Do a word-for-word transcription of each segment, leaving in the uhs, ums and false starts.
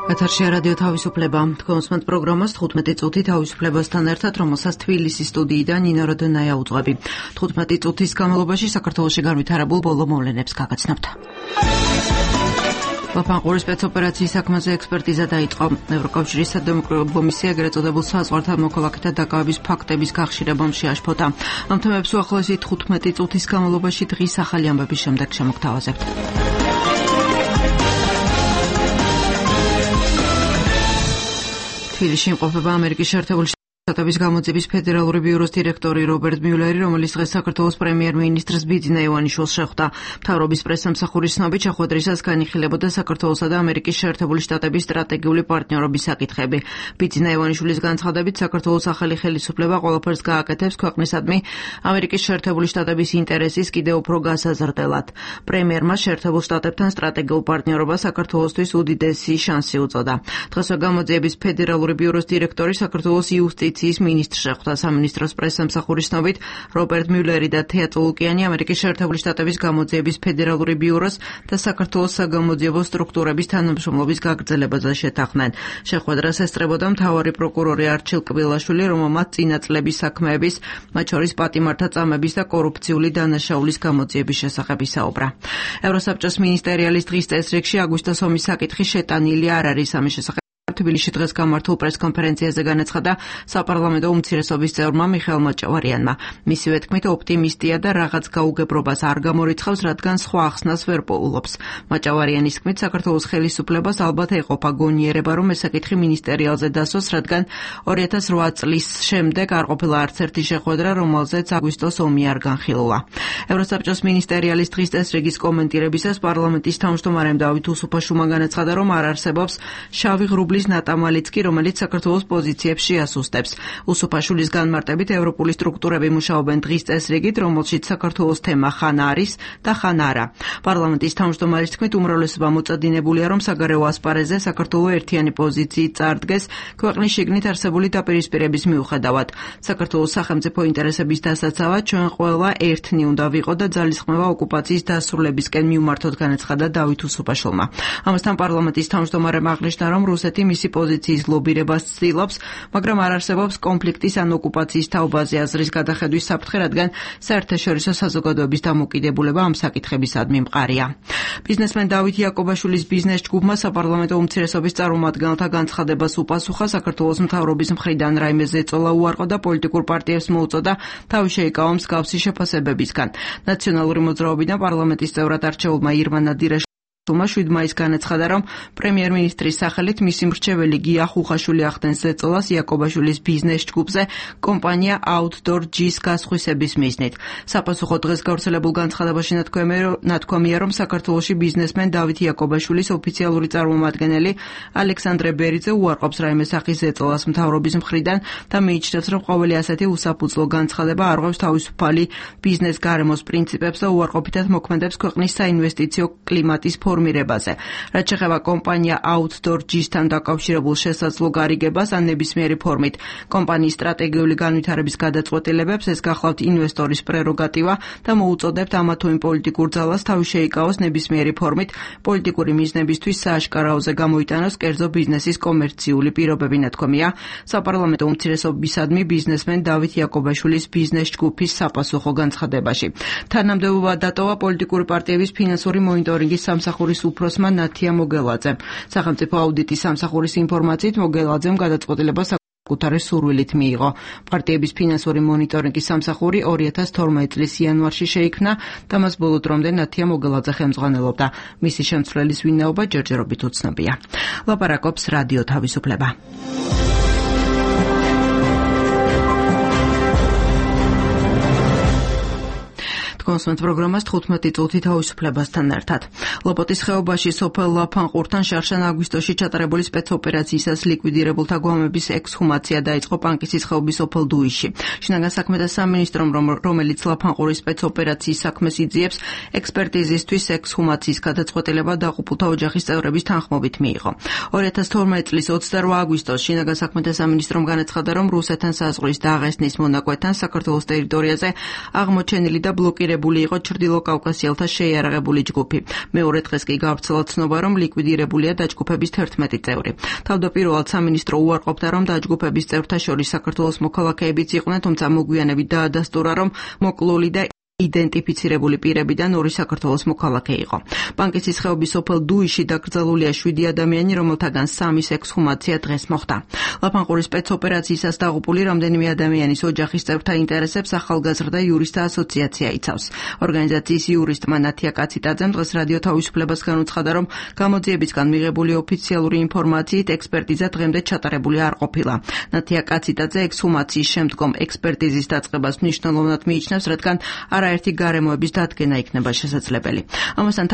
ეთერშია რადიო თავისუფლება. თქვენ პროგრამას თხუთმეტი წუთი თავისუფლებასთან ერთად, რომელსაც თბილისის სტუდიიდან ნინო როდონაია უძღვები. თხუთმეტი წუთის განმავლობაში საქართველოში განვითარებულ ბოლო მოვლენებს გაგაცნობთ. ლაფანყურის სპეცოპერაციის საქმეზე ექსპერტიზა დაიწყო. ევროკავშირის სადემოკრატიო კომისია ეგრეთ წოდებულ საზღვართან მოქალაქეთა დაკავების ფაქტების გახშირებამ შეაშფოთა. ამ თემებს უახლოესი თხუთმეტი წუთის განმავლობაში დღის ახალი ამბების შემდეგ შემოგთავაზებთ. თბილისში იმყოფება ამერიკის შეერთებული შტატების გამოძიების ფედერალური ბიუროს დირექტორი რობერტ მიულერი, რომელიც დღეს საქართველოს პრემიერ-მინისტრს ბიძინა ივანიშვილს შეხვდა. მთავრობის პრესსამსახურის ცნობით, შეხვედრისას განიხილებოდა საქართველოსა და ამერიკის შეერთებული შტატების სტრატეგიული პარტნიორობის საკითხები. ბიძინა ივანიშვილის განცხადებით, საქართველოს ახალი ხელისუფლება ყველაფერს გააკეთებს ქვეყნისადმი ამერიკის შეერთებული შტატების ინტერესის კიდევ უფრო გასაზრდელად. პრემიერმა შეერთებულ შტატებთან სტრატეგიულ პარტნიორობას საქართველოსთვის უდიდესი შანსი უწოდა. დღესვე გამოძიების ფედერალური ბიუროს დირექტორი საქართველოს იუსტიციის მინისტრს შეხვდა. სამინისტროს პრესსამსახურის ცნობით, რობერტ მიულერი და თეა წულუკიანი ამერიკის შეერთებული შტატების გამოძიების ფედერალური ბიუროს და საქართველოს საგამოძიებო სტრუქტურების თანამშრომლობის გაგრძელებაზე შეთანხმდნენ. შეხვედრას ესწრებოდა მთავარი პროკურორი არჩილ კბილაშვილი, რომელმაც წინა წლების საქმეების, მათ შორის პატიმართა წამების და კორუფციული დანაშაულის გამოძიების შესახებ ისაუბრა. ევროსაბჭოს მინისტერიალის დღის წესრიგში აგვისტოს ომის საკითხი შეტანილი არ არის. ამის შესახებ თბილისში დღეს გამართულ პრესკონფერენციაზე განაცხადა საპარლამენტო უმცირესობის წევრმა მიხეილ მაჭავარიანმა. მისივე თქმით, ოპტიმისტია და რაღაც გაუგებრობას არ გამორიცხავს, რადგან სხვა ახსნას ვერ პოულობს. მაჭავარიანის თქმით, საქართველოს ხელისუფლებას ალბათ ეყოფა გონიერება, რომ ეს საკითხი მინისტერიალზე დასვას, რადგან ორი ათას რვა წლის შემდეგ არ ყოფილა არც ერთი შეხვედრა, რომელზეც აგვისტოს ომი არ განხილულა. ევროსაბჭოს მინისტერიალის დღის წესრიგის კომენტირებისას პარლამენტის თავმჯდომარემ დავით უსუფაშვილმა განაცხადა, რომ არ არსებობს შავი ღრუბლის ნატამალიც კი, რომელიც საქართველოს პოზიციებს შეასუსტებს. უსუფაშვილის განმარტებით, ევროპული სტრუქტურები მუშაობენ დღის წესრიგით, რომელშიც საქართველოს თემა ხან არის და ხან არა. პარლამენტის თავმჯდომარის თქმით, უმრავლესობა მოწადინებულია, რომ საგარეო ასპარეზზე საქართველოს ერთიანი პოზიციით წარდგეს ქვეყნის შიგნით არსებული დაპირისპირების მიუხედავად. საქართველოს სახელმწიფო ინტერესების დასაცავად ჩვენ ყველა ერთნი უნდა ვიყო და ძალისხმევა ოკუპაციის დასრულებისკენ მივმართოთ, განაცხადა დავით უსუფაშვილმა. ამასთან პარლამენტის თავმჯდომარემ აღნიშნა, რომ რუსეთი მისი პოზიციის ლობირებას ცდილობს, მაგრამ არ არსებობს კონფლიქტის ან ოკუპაციის თაობაზე აზრის გადახედვის საფრთხე, რადგან საერთაშორისო საზოგადოების დამოკიდებულება ამ საკითხებისადმი მყარია. ბიზნესმენ დავით იაკობაშვილის ბიზნეს ჯგუფმა საპარლამენტო უმცირესობის წარმომადგენელთა განცხადებას უპასუხა. საქართველოს მთავრობის მხრიდან რაიმე ზეწოლა უარყო და პოლიტიკურ პარტიებს მოუწოდა თავი შეიკავა მსგავსი შეფასებებისგან. ნაციონალური მოძრაობიდან პარლამენტის წევრად არჩეულმა ირმა ნადირაშვილმა შვიდ მაისს განაცხადა, რომ პრემიერ-მინისტრის სახელით მისი მრჩეველი გია ხუხაშვილი ახდენს ზეწოლას იაკობაშვილის ბიზნეს ჯგუფზე კომპანია Outdoor G-ს გასხვისების მიზნით. საპასუხო დღეს გავრცელებულ განცხადებაში ნათქვამია, რომ საქართველოში ბიზნესმენ დავით იაკობაშვილის ოფიციალური წარმომადგენელი ალექსანდრე ბერიძე უარყოფს რაიმე სახის ზეწოლას მთავრობის მხრიდან და მიიჩნევს, რომ ყოველი ასეთი უსაფუძვლო განცხადება არღვევს თავისუფალი ბიზნეს გარემოს პრინციპებს და უარყოფითად მოქმედებს ქვეყნის საინვესტიციო კლიმატის ფორმირებაზე. რაც შეეხება კომპანია Outdoor G-სთან დაკავშირებულ შესაძლო გარიგებას ან ნებისმიერი ფორმით კომპანიის სტრატეგიული განვითარების გადაწყვეტილებებს, ეს გახლავთ ინვესტორის პრეროგატივა და მოუწოდებთ ამა თუ იმ პოლიტიკურ ძალას თავი შეიკავოს ნებისმიერი ფორმით პოლიტიკური მიზნებისთვის სააშკარაოზე გამოიტანოს კერძო ბიზნესის კომერციული პირობები, ნათქვამია საპარლამენტო უმცირესობისადმი ბიზნესმენ დავით იაკობაშვილის ბიზნეს ჯგუფის საპასუხო განცხადებაში. თანამდებობა დატოვა პოლიტიკური პარტიების ფინანსური მონიტორინგის სამსახურის უფროსმა ნათია მოგელაძემ. სახელმწიფო აუდიტის სამსახურის ინფორმაციით მოგელაძემ გადაწყვეტილება საკუთარი სურვილით მიიღო. პარტიების ფინანსური მონიტორინგის სამსახური ორი ათას თორმეტი წლის იანვარში შეიქმნა და მას ბოლო დრომდე ნათია მოგელაძე ხელმძღვანელობდა. მისი შემცვლელის ვინაობა ჯერჯერობით უცნობია. ლაპარაკობს რადიო თავისუფლება. კონსუმენტ პროგრამას თხუთმეტი წუთი თავისუფლებასთან ერთად. ლოპოტის ხეობაში სოფელ ლაფანყურთან შარშან აგვისტოში ჩატარებული სპეცოპერაციისას ლიკვიდირებულთა გვამების ექსჰუმაცია დაიწყო პანკისის ხეობის სოფელ დუიში. შინაგან საქმეთა სამინისტრომ, რომელიც ლაფანყურის სპეცოპერაციის საქმეს იძიებს, ექსპერტიზისთვის ექსჰუმაციის გადაწყვეტილება დაღუპულთა ოჯახის წევრების თანხმობით მიიღო. ორი ათას თორმეტი წლის ოცდარვა აგვისტოს შინაგან საქმეთა სამინისტრომ განაცხადა, რომ რუსეთთან საზღვრის დაღესტნის მონაკვეთთან საქართველოს ტერიტორიაზე აღმოჩენილი და ბლოკირებული ლიკვიდირებული იყო ჩრდილო კავკასიელთა შეიარაღებული ჯგუფი. მეორე დღეს კი გავრცელა ცნობა, რომ ლიკვიდირებულია დაჯგუფების თერთმეტი წევრი. თავდაპირველად სამინისტრო უარყოფდა, რომ დაჯგუფების წევრთა შორის საქართველოს მოქალაქეებიც იყვნენ, თუმცა მოგვიანებით დაადასტურა, რომ მოკლული და იდენტიფიცირებული პირებიდან ორი საქართველოს მოქალაქე იყო. ბანკის ხეობის სოფელ დუიში დაკრძალულია შვიდი ადამიანი, რომელთაგან სამის ექსჰუმაცია დღეს მოხდა. ლაფანყურის სპეცოპერაციისას დაღუპული რამდენიმე ადამიანის ოჯახის წევრთა ინტერესებს ახალგაზრდა იურისტთა ასოციაცია იცავს. ორგანიზაციის იურისტმა ნათია კაციტაძემ დღეს რადიო თავისუფლებას განუცხადა, რომ გამოძიებისგან მიღებული ოფიციალური ინფორმაციით ექსპერტიზა დღემდე ჩატარებული არ ყოფილა. ნათია კაციტაძე ექსჰუმაციის შემდგომ ექსპერტიზის დაწყებას მნიშვნელოვნად მიიჩნევს, რადგან არაერთი გარემოების დადგენა იქნება შესაძლებელი. ამასთან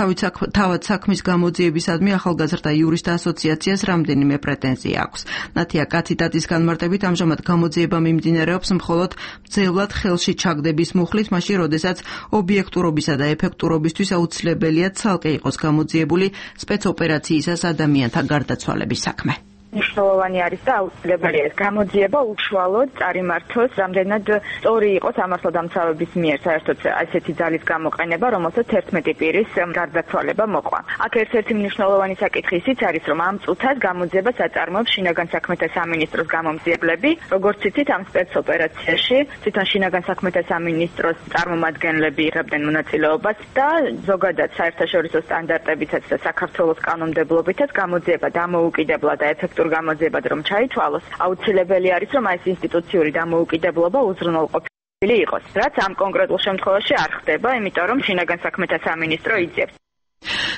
თავად საქმის გამოძიებისადმი ახალგაზრდა იურისტთა ასოციაციას რამდენიმე პრეტენზია აქვს. ნათია კაციტაძის განმარტებით ამჟამად გამოძიება მიმდინარეობს მხოლოდ მძევლად ხელში ჩაგდების მუხლით, მაშინ როდესაც ობიექტურობისა და ეფექტურობისთვის აუცილებელია ცალკე იყოს გამოძიებული სპეცოპერაციისას ადამიანთა გარდაცვალების საქმე. მნიშვნელოვანი არის და აუცილებელია ეს გამოძიება უშუალოდ წარიმართოს, რამდენად სწორი იყოს ამასლადამცავების მიერ საერთოდ ასეთი ძალის გამოყენება, რომელსაც თერთმეტი პირის გარდაცვალება მოყვა. აქ ერთ-ერთი მნიშვნელოვანი საკითხი ისიც არის, რომ ამ წუთას გამოძიებას აწარმოებს შინაგან საქმეთა სამინისტროს გამომძიებლები, როგორც იცით, ამ სპეცოპერაციაში თვითონ შინაგან საქმეთა სამინისტროს წარმომადგენლები იღებდნენ მონაწილეობას და ზოგადად საერთაშორისო სტანდარტებითაც და საქართველოს კანონმდებლობითაც გამოძიება დამოუკიდებლად და ეფექტურად გამოძიებად რომ ჩაითვალოს, აუცილებელი არის, რომ ეს ინსტიტუციური დამოუკიდებლობა უზრუნველყოფილი იყოს, რაც ამ კონკრეტულ შემთხვევაში არ ხდება, იმიტომ რომ შინაგან საქმეთა სამინისტრო იძიებს.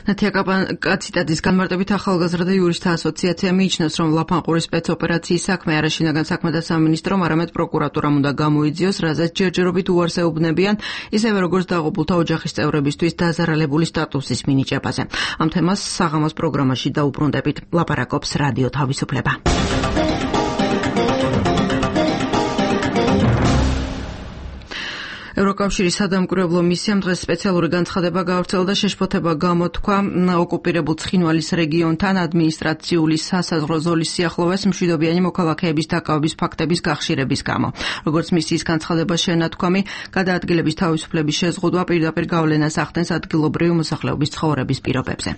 ნათია კაციტაძის განმარტებით ახალგაზრდა იურისტთა ასოციაცია მიიჩნევს, რომ ლაფანყურის სპეცოპერაციის საქმე არა შინაგან საქმეთა სამინისტრომ, არამედ პროკურატურამ უნდა გამოიძიოს, რაზეც ჯერჯერობით უარს ეუბნებიან, ისევე როგორც დაღუპულთა ოჯახის წევრებისთვის დაზარალებული სტატუსის მინიჭებაზე. ამ თემას საღამოს პროგრამაში დაუბრუნდებით. ლაპარაკობს რადიო თავისუფლება. ევროკავშირის სადამკვირვებლო მისიამ დღეს სპეციალური განცხადება გაავრცელა და შეშფოთება გამოთქვა ოკუპირებულ ცხინვალის რეგიონთან ადმინისტრაციული სასაზღვრო ზოლის სიახლოვეს მშვიდობიანი მოქალაქეების დაკავების ფაქტების გახშირების გამო. როგორც მისიის განცხადება შენათქვამი, გადაადგილების თავისუფლების შეზღუდვა პირდაპირ გავლენას ახდენს ადგილობრივი მოსახლეობის ცხოვრების პირობებზე.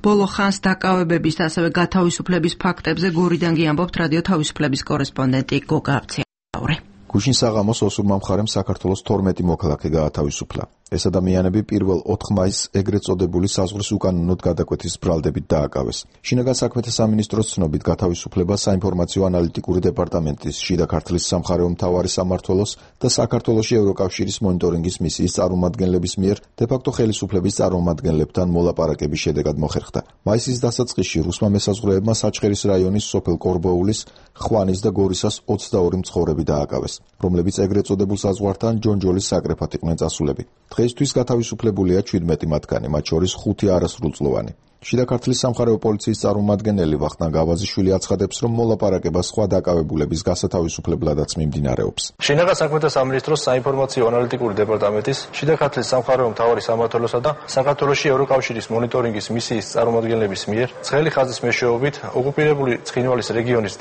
ბოლო ხანს დაკავებების და ასევე გათავისუფლების ფაქტებზე გორიდანგი ამბობთ რადიო თავისუფლების კორესპონდენტი გოგა აბციაური. გუშინ საღამოს ოსურმა მხარემ საქართველოს თორმეტი მოქალაქე გაათავისუფლა. ეს ადამიანები პირველ ოთხ მაისს ეგრეთ წოდებული საზღვრის უკანონოდ გადაკვეთის ბრალდებით დააკავეს. შინაგან საქმეთა სამინისტროს ცნობით გათავისუფლება საინფორმაციო ანალიტიკური დეპარტამენტის, შიდა ქართლის სამხარეო მთავარი სამმართველოს და საქართველოში ევროკავშირის მონიტორინგის მისიის წარმომადგენლების მიერ დე-ფაქტო ხელისუფლების წარმომადგენლებთან მოლაპარაკების შედეგად მოხერხდა. მაისის დასაწყისში რუსმა მესაზღვრეებმა საჩხერის რაიონის სოფელ კორბოულის, ხვანის და გორისას ოცდაორი მცხოვრები დააკავეს, რომლებიც ეგრეთ წოდებულ საზღვართან ჯონჯოლის საკრეფად იყვნენ წასულები. დღეისთვის გათავისუფლებულია ჩვიდმეტი მათგანი, მათ შორის ხუთი არასრულწლოვანი. შიდა ქართლის სამხარეო პოლიციის წარმომადგენელი ვახტანგ გავაზიშვილი აცხადებს, რომ მოლაპარაკება სხვა დაკავებულების გასათავისუფლებლადაც მიმდინარეობს. შინაგან საქმეთა სამინისტროს საინფორმაციო ანალიტიკური დეპარტამენტის, შიდა ქართლის სამხარეო მთავარი სამმართველოსა და საქართველოში ევროკავშირის მონიტორინგის მისიის წარმომადგენლების მიერ ცხელი ხაზის მეშვეობით ოკუპირებული ცხინვალის რეგიონის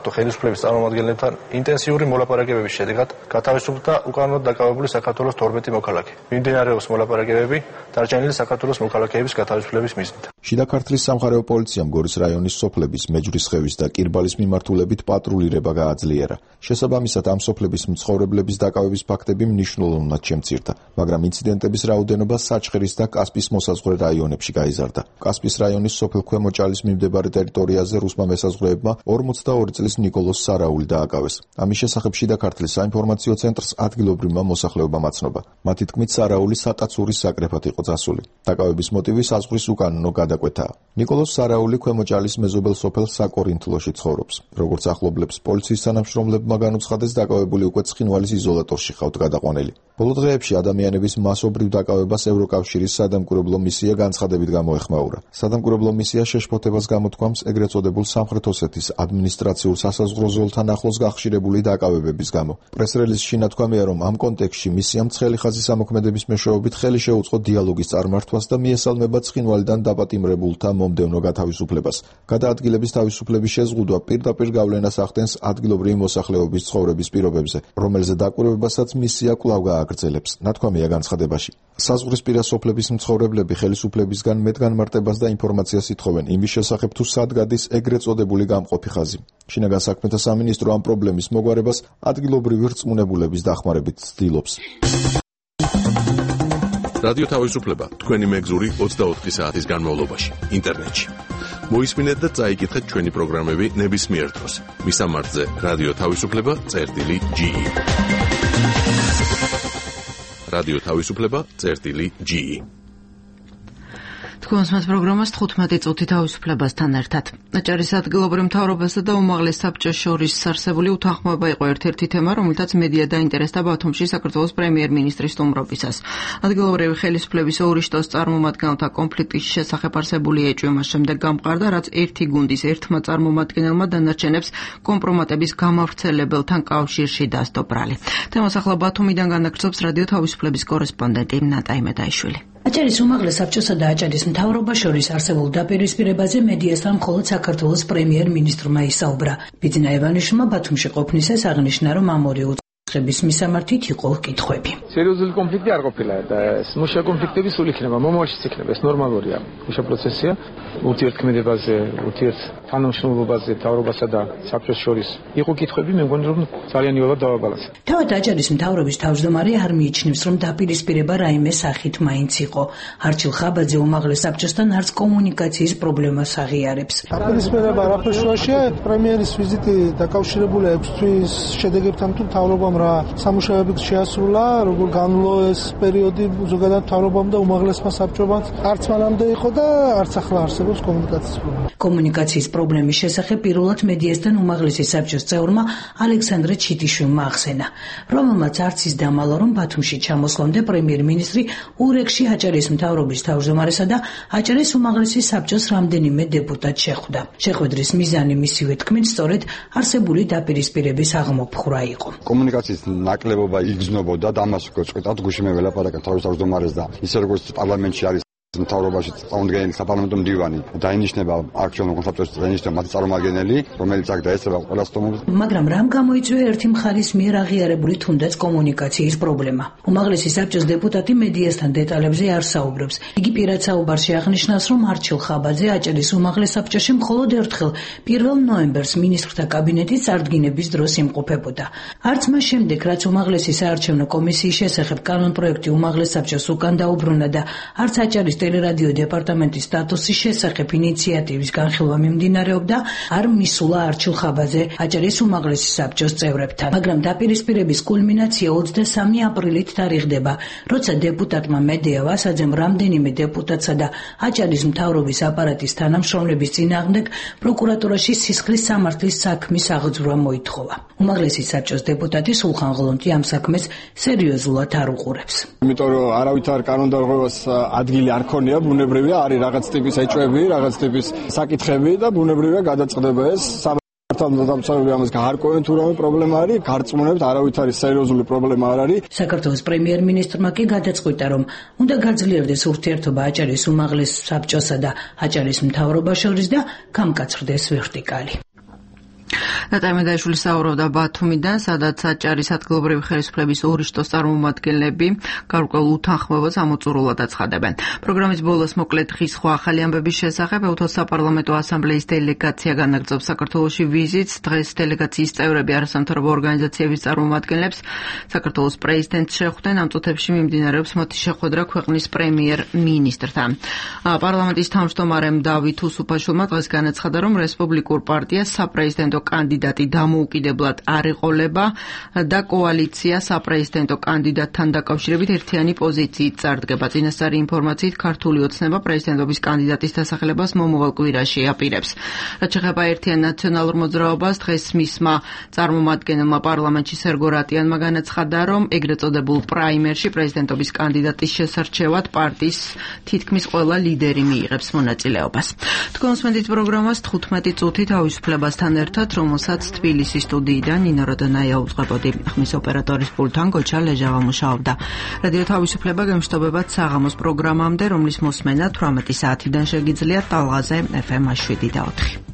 ხელისუფლების წარმომადგენლებთან ინტენსიური მოლაპარაკებების შედეგად გათავისუფლდა უკანონოდ დაკავებული საქართველოს თორმეტი მოქალაქე. მიმდინარეობს მოლაპარაკებები დარჩენილი საქართველოს მოქალაქეების გათავისუფლების მიზნით. შიდა ქართლის სამხარეო პოლიციამ გორის რაიონის სოფლების, მეჯვრისხევის და კირბალის მიმართულებით პატრულირება გააძლიერა. შესაბამისად ამ სოფლების მცხოვრებლების დაკავების ფაქტები მნიშვნელოვნად შემცირდა, მაგრამ ინციდენტების რაოდენობა საჩხერის და კასპის მოსაზღვრე რაიონებში გაიზარდა. კასპის რაიონის სოფელ ქვემოჭალის მიმდებარე ტერიტორიაზე რუსმა მესაზღვრეებმა ორმოცდაორი წლის ნიკოლოს სარაული დააკავეს. ამის შესახებ შიდა ქართლის საინფორმაციო ცენტრს ადგილობრივმა მოსახლეობამ აცნობა. მათი თქმით, სარაული სატაცურის საკრეფად იყო წასული. დაკავების მოტივი საზღვრის უკანონო გადაკვეთაა. ნიკოლოს სარაული ქვემოჭალის მეზობელ სოფელ საკორინთლოში ცხოვრობს. როგორც ახლობლებს პოლიციის თანამშრომლებმა განუცხადეს, დაკავებული უკვე ცხინვალის იზოლატორში ხავთ გადაყვანილი. ბოლო დღეებში ადამიანების მასობრივ დაკავებას ევროკავშირის სადამკვირვებლო მისია განცხადებით გამოეხმაურა. სადამკვირვებლო მისია შეშფოთებას გამოთქვამს ეგრეთ წოდებულ სამხრეთ ოსეთის ადმინისტრაციულ სასაზღვრო ზოლთან ახლოს გახშირებული დაკავებების გამო. პრესრელიზში ნათქვამია, რომ ამ კონტექსტში მისიამ ცხელი ხაზის ამოქმედების მეშვეობით ხელი შეუწყო დიალოგის წარმართვას და მიესალმება ცხინვალიდან დაპატიმრებულთა მომდევნო გათავისუფლებას. გადაადგილების თავისუფლების შეზღუდვა პირდაპირ გავლენას ახდენს ადგილობრივი მოსახლეობის ცხოვრების პირობებზე, რომელზე დაკვირვებასაც მისია კვლავ გააკეთა. აგრძელებს. ნათქვამია განცხადებაში. საზღვრისპირა სოფლების მცხოვრებლები ხელისუფლებისგან მეტგანმარტებას და ინფორმაციას ითხოვენ იმის შესახებ, თუ სად გადის ეგრეთ წოდებული გამყოფი ხაზი. შინაგან საქმეთა სამინისტრო ამ პრობლემის მოგვარებას ადგილობრივი რწმუნებულების დახმარებით ცდილობს. რადიო თავისუფლება თქვენი მეგზური ოცდაოთხი საათის განმავლობაში ინტერნეტში. მოისმინეთ და წაიკითხეთ ჩვენი პროგრამები ნებისმიერ დროს. მისამართზე რადიო თავისუფლება წერტილი ჯი. რადიო თავისუფლება წერტილი ჯი. თქვენს მათ პროგრამას თხუთმეტი წუთი თავისუფლებასთან ერთად. აჭარის ადგილობრივ მთავრობასა და უმაღლეს საბჭოს შორის არსებული უთანხმოება იყო ერთ-ერთი თემა, რომელთაც მედია დაინტერესდა ბათუმში საქართველოს პრემიერ-მინისტრის სტუმრობისას. ადგილობრივი ხელისუფლების ორი შტოს წარმომადგენელთა კონფლიქტის შესახებ არსებული ეჭვი მას შემდეგ გამყარდა, რაც ერთი გუნდის ერთმა წარმომადგენელმა დანარჩენებს კომპრომატების გამავრცელებელთან კავშირში დასდო ბრალი. თემას ახლა ბათუმიდან განაგრძობს რადიო თავისუფლების კორესპონდენტი ნატა იმედაიშვილი. აჭარის უმაღლეს საბჭოსა და აჭარის მთავრობას შორის არსებულ დაპირისპირებაზე მედიასთან მხოლოდ საქართველოს პრემიერ-მინისტრმა ისაუბრა. ბიძინა ივანიშვილმა ბათუმში ყოფნისას აღნიშნა, რომ ამ ორი უწყების მისამართით იყო კითხვები. სერიოზული კონფლიქტი არ ყოფილა და მუშა კონფლიქტები სულ იქნება, მომავალშიც იქნება, ეს ნორმალურია. მუშა პროცესია ურთიერთქმედებაზე, ურთიერთ თანამშრომლობაზე მთავრობასა და საბჭოს შორის იყო კითხვები, მე მგონი რომ ძალიან იოლად დავაბალანსა. თავად აჭარის მთავრობის თავმჯდომარე არ მიიჩნევს, რომ დაპირისპირება რაიმე სახით მაინც იყო. არჩილ ხაბაძე უმაღლეს საბჭოსთან არც კომუნიკაციის პრობლემას აღიარებს. დაპირისპირება არაფერ შუაშია, პრემიერის ვიზიტი დაკავშირებულია ექვსი თვის შედეგებთან თუ მთავრობამ რა სამუშაოები შეასრულა, როგორ განვლო ეს პერიოდი ზოგადად მთავრობამ და უმაღლესმა საბჭობამ. არც მანამდე იყო და არც ახლა არსებობს კომუნიკაციის პრობლემა. კომუნიკაციის პრობლემის შესახებ პირველად მედიასთან უმაღლესი საბჭოს წევრმა ალექსანდრე ჩიტიშვილმა ახსენა, რომელმაც არც ის დამალა, რომ ბათუმში ჩამოსვლამდე პრემიერ-მინისტრი ურეკში აჭარის მთავრობის თავმჯდომარესა და აჭარის უმაღლესი საბჭოს რამდენიმე დეპუტატს შეხვდა. შეხვედრის მიზანი მისივე თქმით სწორედ არსებული დაპირისპირების აღმოფხვრა იყო. კომუნიკაციის ნაკლებობა იგრძნობოდა და ამას გწყვეტად გუშინ მე ველაპარაკე თავის თავმჯდომარეს და ისე როგორც პარლამენტში არის მთავრობაში წარმომადგენელი საპარლამენტო მდივანი დაინიშნება აქციონერ კონსაბჭოს დაინიშნება მათი წარმომადგენელი, რომელიც აქ დაესწრება ყველა სტომობს. მაგრამ რამ გამოიწვია ერთი მხარის მიერ აღიარებული თუნდაც კომუნიკაციის პრობლემა. უმაღლესი საბჭოს დეპუტატი მედიასთან დეტალებზე არ საუბრობს. იგი პირად საუბარში აღნიშნავს, რომ არჩილ ხაბაძე აჭარის უმაღლეს საბჭოში მხოლოდ ერთხელ პირველ ნოემბერს მინისტრთა კაბინეტის წარდგინების დროს იმყოფებოდა. არც მას შემდეგ, რაც უმაღლესი საარჩევნო კომისიის შესახებ კანონპროექტი უმაღლეს საბჭოს უკან დაუბრუნა და არც აჭარის ტელერადიო დეპარტამენტის სტატუსის შესახებ ინიციატივის განხილვა მიმდინარეობდა, არ მისულა არჩილ ხაბაძე აჭარის უმაღლესი საბჭოს წევრებთან. მაგრამ დაპირისპირების კულმინაცია ოცდასამი აპრილით თარიღდება, როცა დეპუტატმა მედეა ვასაძემ რამდენიმე დეპუტატსა და აჭარის მთავრობის აპარატის თანამშრომლების წინააღმდეგ პროკურატურაში სისხლის სამართლის საქმის აღძვრა მოითხოვა. უმაღლესი საბჭოს დეპუტატი სულხან ღლონტი ამ საქმეს სერიოზულად არ უყურებს. იმიტომ რომ არავითარ კანონდარღვევას ადგილი არ ქონია, ბუნებრივია არის რაღაც ტიპის ეჭვები, რაღაც ტიპის საკითხები და ბუნებრივია გადაწყდება ეს. სამართალდამცავები ამას გაარკვევენ თუ რამე პრობლემა არის, გარწმუნებთ არავითარი სერიოზული პრობლემა არ არის. საქართველოს პრემიერ-მინისტრმა კი გადაწყვიტა, რომ უნდა გაძლიერდეს ურთიერთობა აჭარის უმაღლეს საბჭოსა და აჭარის მთავრობას შორის და გამკაცრდეს ვერტიკალი. ნატა იმედაიშვილი საუბრობდა ბათუმიდან, სადაც აჭარის ადგილობრივი ხელისუფლების ორი შტოს წარმომადგენლები გარკვეულ უთანხმოებას ამოწურულად აცხადებენ. პროგრამის ბოლოს მოკლედ დღის სხვა ახალი ამბების შესახებ ევთოს საპარლამენტო ასამბლეის დელეგაცია განაგრძობს საქართველოში ვიზიტს. დღეს დელეგაციის წევრები არასამთავრობო ორგანიზაციების წარმომადგენლებს საქართველოს პრეზიდენტს შეხვდნენ. ამ წუთებში მიმდინარეობს მათი შეხვედრა ქვეყნის პრემიერ-მინისტრთან. პარლამენტის თავმჯდომარემ დავით უსუფაშვილმა დღეს განაცხადა, რომ რესპუბლიკურ პარტიას საპრეზიდენტო კანდიდატი დამოუკიდებლად არ ეყოლება და კოალიცია საპრეზიდენტო კანდიდატთან დაკავშირებით ერთიანი პოზიციით წარდგება. წინასწარი ინფორმაციით ქართული ოცნება პრეზიდენტობის კანდიდატის დასახელებას მომავალ კვირაში აპირებს. რაც შეეხება ერთიან ნაციონალურ მოძრაობას, დღეს მისმა წარმომადგენელმა პარლამენტში სერგო რატიანმა განაცხადა, რომ ეგრეთ წოდებულ პრაიმერში პრეზიდენტობის კანდიდატის შესარჩევად პარტიის თითქმის ყველა ლიდერი მიიღებს მონაწილეობას. თქვენს მედით პროგრამას თხუთმეტი წუთი თავისუფლებასთან ერთად, რომელსაც თბილისის სტუდიიდან ნინო როდონაია უძღვებოდი. ხმის ოპერატორის პულტთან გოჩა ლეჟავა მუშაობდა. რადიო თავისუფლება გემშვიდობებათ საღამოს პროგრამამდე, რომლის მოსმენა თვრამეტი საათიდან შეგიძლიათ ტალღაზე ეფ ემ შვიდი და ოთხი.